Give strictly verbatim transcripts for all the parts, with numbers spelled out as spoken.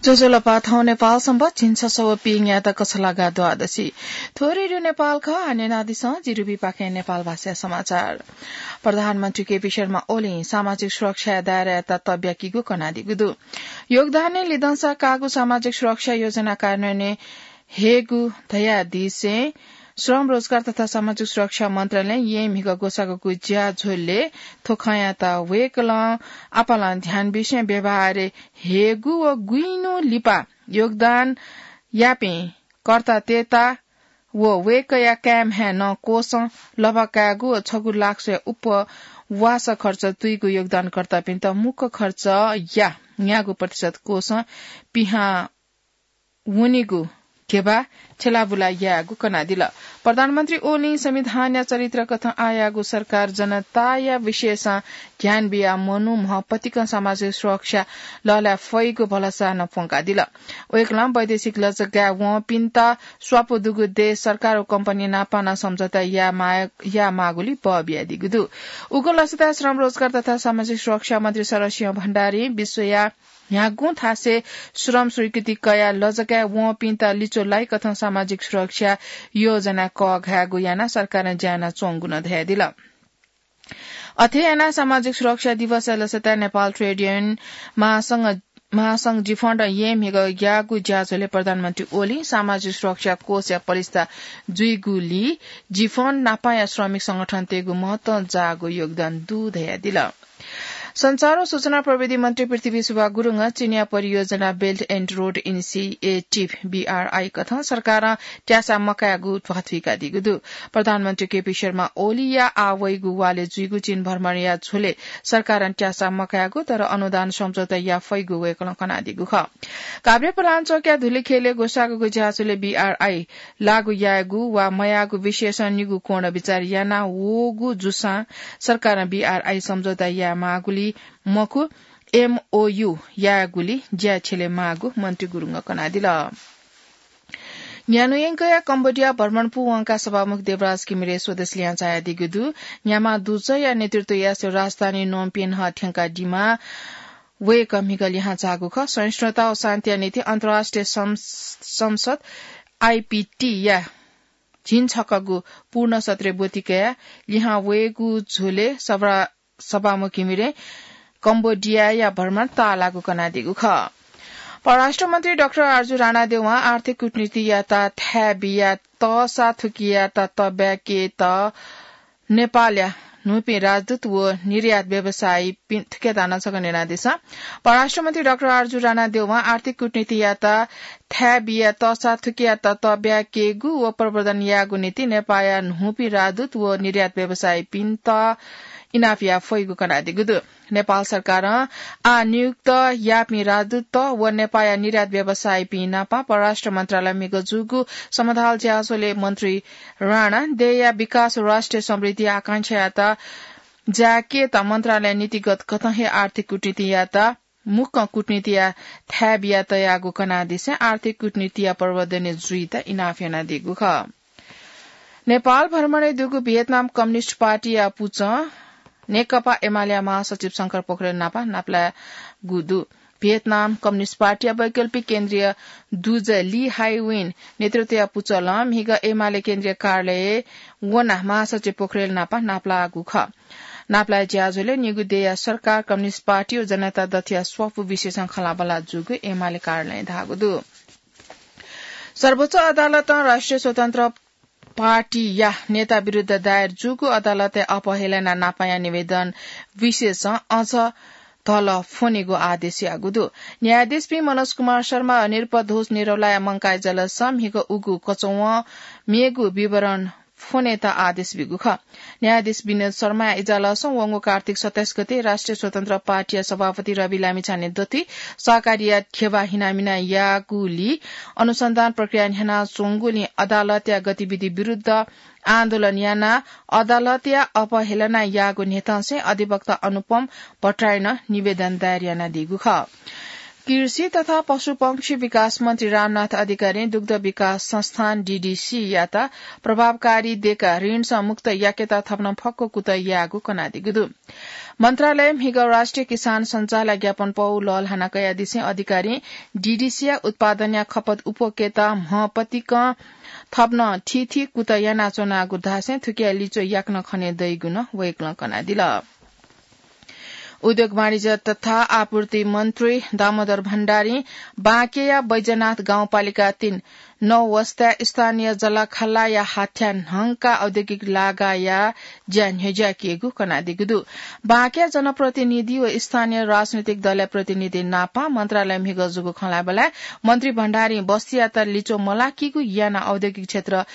ज्वजलपा, थौं नेपाल संवत् झिंछसः व पीन्यादँ कछलागा द्वादशी। थ्व रेडियो नेपाल खः, आः न्यनादिसँ, जि रुबी पाखें नेपाल भाषा समाचार। प्रधानमन्त्री केपी शर्मा ओलीं सामाजिक सुरक्षाया दायरायात तब्याकीगु कनादीगु दु। योगदानय् लिधंसा काःगु सामाजिक सुरक्षा योजना कार्यान्वयनय् हयेगु धयादिसें श्रम, रोजगार तथा सामाजिक सुरक्षा मन्त्रालयं येँ म्हिगः ग्वसाःगु ज्याझ्वलय् थ्व खँयात वय्कलं आपालं ध्यान बिसें व्यवहारय् हयेगु व गुइन्हु लिपा योगदान याःपिं कर्तातय्त व वय्कःया काय्म्हें नं कोषं लभा कायेगु व छगू लाख स्वयाः उपास खर्च तुइगु योगदानकर्तापिन्त मुख्य खर्चया न्यागू प्रतिशत कोषं पिहां वनीगु घेबा छ्यलाबुला यायेगु कनादिल। प्रधानमन्त्री ओलीं संविधानया चरित्र कथं आःयागु सरकार जनताया विषयसं ध्यान बियाः मनू म्हपतिकं सामाजिक सुरक्षा लःल्हाये फइगु भलसा नं प्वंकादिल। वय्कलं वैदेशिक लजगाय् वंपिन्त स्वापू दुगु देश सरकार व कम्पनी नाप नं सम्झौता याये माः-, याये माःगुली बः बियादीगु दु। उगु लसताय् श्रम, रोजगार तथा सामाजिक सुरक्षा मन्त्री शरदसिंह भण्डारीं विश्वया न्ह्यागुं थासय् श्रम स्वीकृति कयाः लजगाय् वंपिन्त लिच्वः लाइकथं सामाजिक सुरक्षा योजना कःघायेगु यानाः सरकारं ज्या यानाच्वंगु नं धयादिल। अथे यानाः सामाजिक सुरक्षा दिवसया लसताय् नेपाल ट्रेड युनियन महासंघ, महासंघ जिफन्ड येँ म्हिगः ग्वसाःगु ज्याझ्वलय् प्रधानमन्त्री ओलीं सामाजिक सुरक्षा कोषया पलिस्था जुइगुलिइ जिफन्ड नापंया श्रमिक संगठनतय्गु महत्वं जाःगु योगदान दु धयादिल। सञ्चार व सूचना प्रविधि मन्त्री पृथ्वी सुब्बा गुरुङं चिनियाँ परियोजना Belt and Road Initiative, BRI, कथं सरकारं त्यासा मकायेगु ध्वाथुइकादीगु दु। प्रधानमन्त्री केपी शर्मा ओलीया आः वइगु वालय् जुइगु चीन भ्रमणया झ्वलय् सरकारं त्यासा मकायेगु तर अनुदान सम्झौता याये फइगु वय्कलं कनादीगु खः। काभ्रेपलाञ्चोकया धुलिखेलय् ग्वसाःगु ज्याझ्वलय् बीआरआई लागू यायेगु वा मयायेगु विषयसं निगू कोणं बिचाः याना वःगु जूसां सरकारं बीआरआई सम्झौता याये माःगुली मखु, एमओयू यायेगुली ज्या छ्यले माःगु मन्त्री गुरुङं कनादिल। न्यान्हु यंकया कम्बोडिया भ्रमण पूवंकाः सभामुख देवराज घिमिरे स्वदेश लिहां झायादीगु दु। न्याम्ह दुजःया नेतृत्वया राजधानी नोमपेन्ह थ्यंकादीम्ह वय्कः म्हिगः लिहां झाःगु खः। सहिष्णुता व शान्तिया निंतिं अन्तर्राष्ट्रिय सं-, संसद, आईपीटी, या झिंछकःगु पूर्ण सत्रय् ब्वति कयाः लिहां वयेगु झ्वलय् सभा-, सभामुख घिमिरें कम्बोडियाया भ्रमण ताःलाःगु कनादीगु खः। परराष्ट्र मन्त्री डाक्टर आरजु राणादेवं आर्थिक कूटनीतियात थाय् बिया तःसा थुकियात तब्याकेत नेपालया न्हूपिं राजदूत व निर्यात व्यवसायीपिं थुकियात नं छकः न्यनादिसँ। परराष्ट्र मन्त्री डाक्टर आरजु राणादेवं आर्थिक कूटनीतियात थाय् बिया तःसा थुकियात तब्याकेगु व प्रवर्धन यायेगु निंतिं नेपाःया न्हूपिं राजदूत व निर्यात व्यवसायीपिन्त इनाप याये फइगु कनादीगु दु। नेपाल सरकारं आः नियुक्त याःपिं राजदूत व नेपाःया निर्यात व्यवसायीपिं नाप परराष्ट्र मन्त्रालयं म्हिगः जूगु समथाल ज्याझ्वलय् मन्त्री राणा देय्या विकास व राष्ट्रिय समृद्धि आकांक्षायात जायेकेत मन्त्रालयं नीतिगत कथं हे आर्थिक कूटनीतियात मुक्कं कूटनीतिया थाय् बिया तयागु कनादिसें आर्थिक कूटनीतिया प्रवर्धन जुइत इनाप यानादीगु खः। नेपाल भ्रमणय् दुगु भियतनाम कम्युनिस्ट पार्टीया पुचः नेकपा एमालेया महासचिव शंकर पोखरेल नाप नापलाःगु दु। भियतनाम कम्युनिस्ट पार्टीया वैकल्पिक केन्द्रीय दुजः ली हाई विन नेतृत्वया पुचलं म्हिगः एमाले केन्द्रीय कार्यालयय् वनाः महासचिव पोखरेल नाप नापलाःगु खः। नापलाःया ज्याझ्वलय् निगू देय्या सरकार, कम्युनिस्ट पार्टी व जनता दथुया स्वापू विषयसं खँल्हाबल्हा जूगु एमाले कार्यालयं धाःगु दु। सर्वोच्च अदालतं राष्ट्रिय स्वतन्त्र पार्टीया नेता विरुद्ध दायर जूगु अदालतय् अपहेलना नापंया निवेदन विषयसं अझ धलः फ्वनेगु आदेश याःगु दु। न्यायाधीशपिं मनोज कुमार शर्मा व नृपध्वज निरौलाया मंकाः इजलासं म्हिगः उगु कचवं मेगु विवरण फ्वनेत आदेश ब्यूगु खः। न्यायाधीश विनोद शर्माया इजलासं वंगु कार्तिक सत्ताइस गते राष्ट्रिय स्वतन्त्र पार्टीया सभापति रवि लामिछाने दथुइ सहकारीया घेबा हिनामिना याःगुलिं अनुसन्धान प्रक्रिया न्ह्यानाच्वंगुलिं अदालतया गतिविधि विरुद्ध आन्दोलन यानाः अदालतया अपहेलना याःगु न्ह्यथंसें अधिवक्ता अनुपम भट्टराईं निवेदन दायर यानादीगु खः। कृषि तथा पशुपक्षी विकास मन्त्री रामनाथ अधिकारीं दुग्ध विकास संस्थान, डीडीसीयात प्रभावकारी देकाः ऋणसं मुक्त याकेत थप नं फक्व कुतः याःगु कनादीगु दु। मन्त्रालय म्हिगः राष्ट्रिय किसान सञ्चारया ज्ञापन पौ लःल्हाना कयादिसें अधिकारी डीडीसीया उत्पादनया खपत उप्वकेत म्हपतिकं थप्नं थीथी कुतः यानाच्वनागु धासें थुकिया लिच्वः याकनं खने दइगु नं वय्कलं कनादिल। उद्योग वाणिज्य तथा आपूर्ति मन्त्री दामोदर भण्डारीं बाँकेया बैजनाथ गाउँपालिका तीन नौ वस्ताय् स्थानीय जलाखालाया हाथ्या न्हंका औद्योगिक लागाया ज्या न्ह्यज्याकेगु कनादीगु दु। बाँकेया जनप्रतिनिधि व स्थानीय राजनैतिक दलया प्रतिनिधि नापं मन्त्रालय म्हिगः जूगु खँ ल्हायेबलय् मन्त्री भण्डारीं बस्तीयात लिच्वः मलाकीगु यानाः औद्योगिक क्षेत्र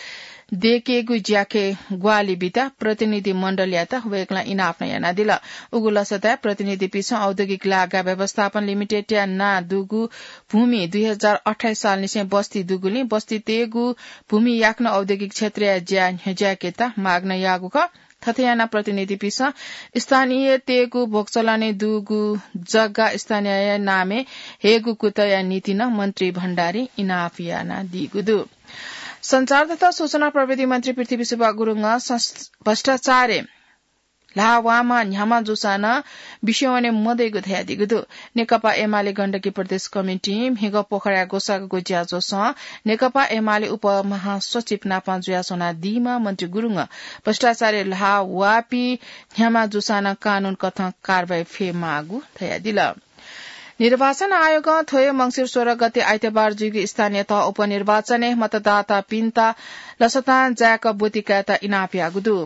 दयेकेगु ज्याके ग्वाहालि बीत प्रतिनिधि मण्डलयात वय्कलं इनाप नं यानादिल। उगु लसताय् प्रतिनिधिपिसं औद्योगिक लागा व्यवस्थापन लिमिटेडया नां दुगु भूमि दुई हजार अट्ठाइस सालनिसें बस्ती दुगुलिं बस्तीतय्गु भूमि याकनं औद्योगिक क्षेत्रया ज्या न्ह्यज्याकेत माग नं याःगु खः। थथे यानाः प्रतिनिधिपिसं स्थानीयतय्गु भोगचलनय् दुगु जग्गा स्थानीयया नामय् हयेगु कुतःया निंतिं नं मन्त्री भण्डारीं इनाप यानादीगु दु। सञ्चार तथा सूचना प्रविधि मन्त्री पृथ्वी सुब्बा गुरुङं सं-, भ्रष्टाचारय् ल्हाः वाःम्ह न्ह्याम्ह जूसां नं बिस्युं वने मदइगु धयादीगु दु। नेकपा एमाले गण्डकी प्रदेश कमिटिं म्हिगः पोखराया ग्वसाःग्वसाःगु ज्याझ्वलय् नेकपा एमाले उपमहासचिव नापं जुयाच्वनादीम्ह मन्त्री गुरुङं भ्रष्टाचारय् ल्हाः वाःपिं न्ह्याम्ह जूसां नं कानून कथं कारवाही फयेमाःगु धयादिल। निर्वाचन आयोगं थ्व हे मंसिर सोह्र गते आइतबार जुइगु स्थानीय तह उपनिर्वाचनय् मतदातापिन्त लसतां जाय्क ब्वति कायेत इनाप याःगु दु।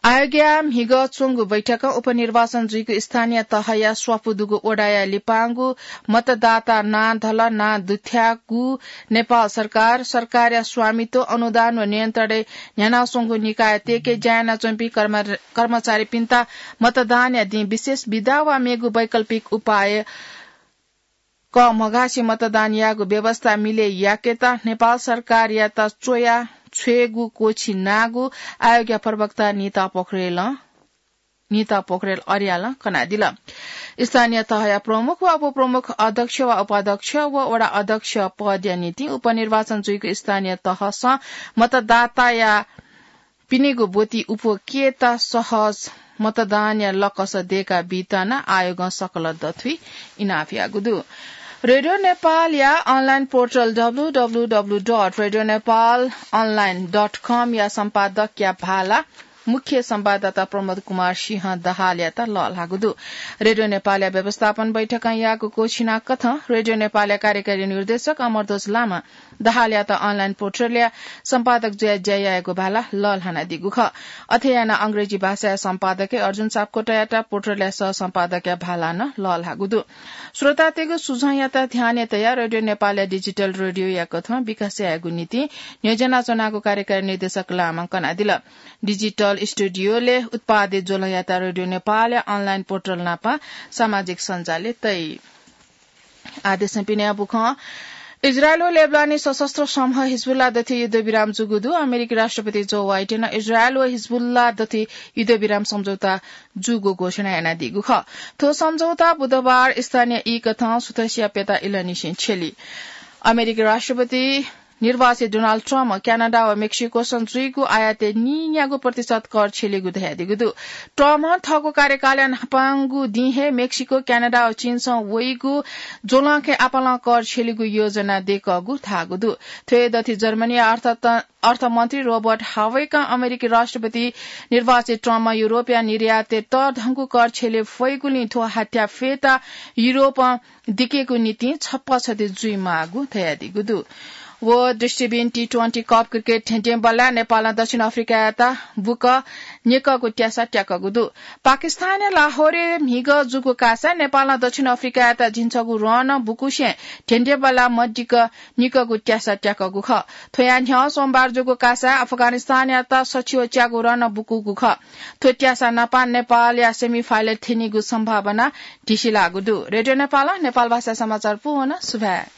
आयोगया म्हिगः च्वंगु बैठकं उपनिर्वाचन जुइगु स्थानीय तहया स्वापू दुगु वडाया लिपांगु मतदाता नां धलः नां दुथ्याःगु नेपाल सरकार, सरकारया स्वामित्व, अनुदान व नियन्त्रणय् न्ह्यानाच्वंगु निकायतय्के ज्या यानाच्वंपिं कर्म-, कर्मचारीपिन्त मतदानया दिं विशेष बिदा वा मेगु वैकल्पिक उपाय कःमघासे मतदान यायेगु व्यवस्था मिलय् याकेत नेपाल सरकारयात च्वया छ्वयेगु क्वःछिनागु आयोगया प्रवक्ता निता पोखरेलं, निता पोखरेल अर्यालं कनादिल। स्थानीय तहया प्रमुख वा उपप्रमुख, अध्यक्ष वा उपाध्यक्ष व वडा अध्यक्ष पदया निंतिं उपनिर्वाचन जुइगु स्थानीय तहसं मतदाताया पिनिगु ब्वति उप्वकेत सहज मतदानया लकस दयेका बीत नं आयोगं सकल दथुइ इनाप याःगु दु। रेडियो नेपालया online portal W W W dot radio Nepal अनलाइन डट कमया सम्पादकया भाला मुख्य संवाददाता प्रमोद कुमार सिंह दाहालयात लःल्हाःगु दु। रेडियो नेपालया व्यवस्थापन बैठकं याःगु क्वःछिना कथं रेडियो नेपालया कार्यकारी निर्देशक अमरध्वज लामा दाहालयात online पोर्टलया सम्पादक जुयाः ज्या यायेगु भाला लःल्हानादीगु खः। अथे यानाः अंग्रेजी भाषाया सम्पादकय् अर्जुन सापकोटायात पोर्टलया सह सम्पादकया भाला नं लःल्हाःगु दु। श्रोतातय्गु सुझावयात ध्यानय् तयाः रेडियो नेपालया डिजिटल रेडियोया कथं विकास यायेगु निंतिं न्ह्यज्याना च्वनागु कार्यकारी निर्देशक लामां कनादिल। डिजिटल स्टुडियोलय् उत्पादित ज्वलंयात रेडियो नेपालया online पोर्टल नापं सामाजिक सञ्जालय् तइ। आदेशं पिने बुखं इजरायल व लेबनानी सशस्त्र समूह हिजबुल्ला दथुइ युद्धविराम जूगु दु। अमेरिकी राष्ट्रपति जो बाइडेनं इजरायल व हिजबुल्ला दथुइ युद्धविराम सम्झौता जूगु घोषणा यानादीगु खः। थ्व सम्झौता बुधबार स्थानीय ई कथं सुथसिया प्यता इलंनिसें छ्यली। अमेरिकी राष्ट्रपति निर्वाचित डोनाल्ड ट्रम्प क्यानाडा व मेक्सिकोसं जुइगु आयातय् नीन्यागू प्रतिशत कर छ्यलीगु धयादीगु दु। ट्रम्पं थःगु कार्यकालया न्हापांगु दिं हे मेक्सिको, क्यानाडा व चीनसं वइगु ज्वलंखय् आपालं कर छ्यलीगु योजना दय्कःगु धाःगु दु। थ्व हे दथुइ जर्मनीया अर्थ-, अर्थमन्त्री रोबर्ट हावेकं अमेरिकी राष्ट्रपति निर्वाचित ट्रम्पं युरोपया निर्यातय् तःधंगु कर छ्यले फइगुलिं थ्व हाथ्या फयेत युरोपं दिकेगु निंतिं छप्पा छति जुइमाःगु धयादीगु दु। व दृष्टिबिन टी ट्वेन्टी कप क्रिकेट धेंध्येंबल्लाय् नेपालं दक्षिण अफ्रिकायात बुकं निकःगु त्यासा त्याकःगु दु। पाकिस्तानया लाहोरय् म्हिगः जूगु कासाय् नेपालं दक्षिण अफ्रिकायात झिंछगू रन बुकुसें धेंध्येंबल्लाय् मदिक्क निकःगु त्यासा त्याकःगु खः। थ्वया न्ह्यः सोमबार जूगु कासाय् अफगानिस्तानयात सछि व च्यागू रन बुकूगु खः। थ्व त्यासा नापं नेपालया सेमिफाइनल थ्यनीगु सम्भावना धिसिलाःगु दु। रेडियो नेपालं नेपाल भाषा समाचार पूवन सुभाय्।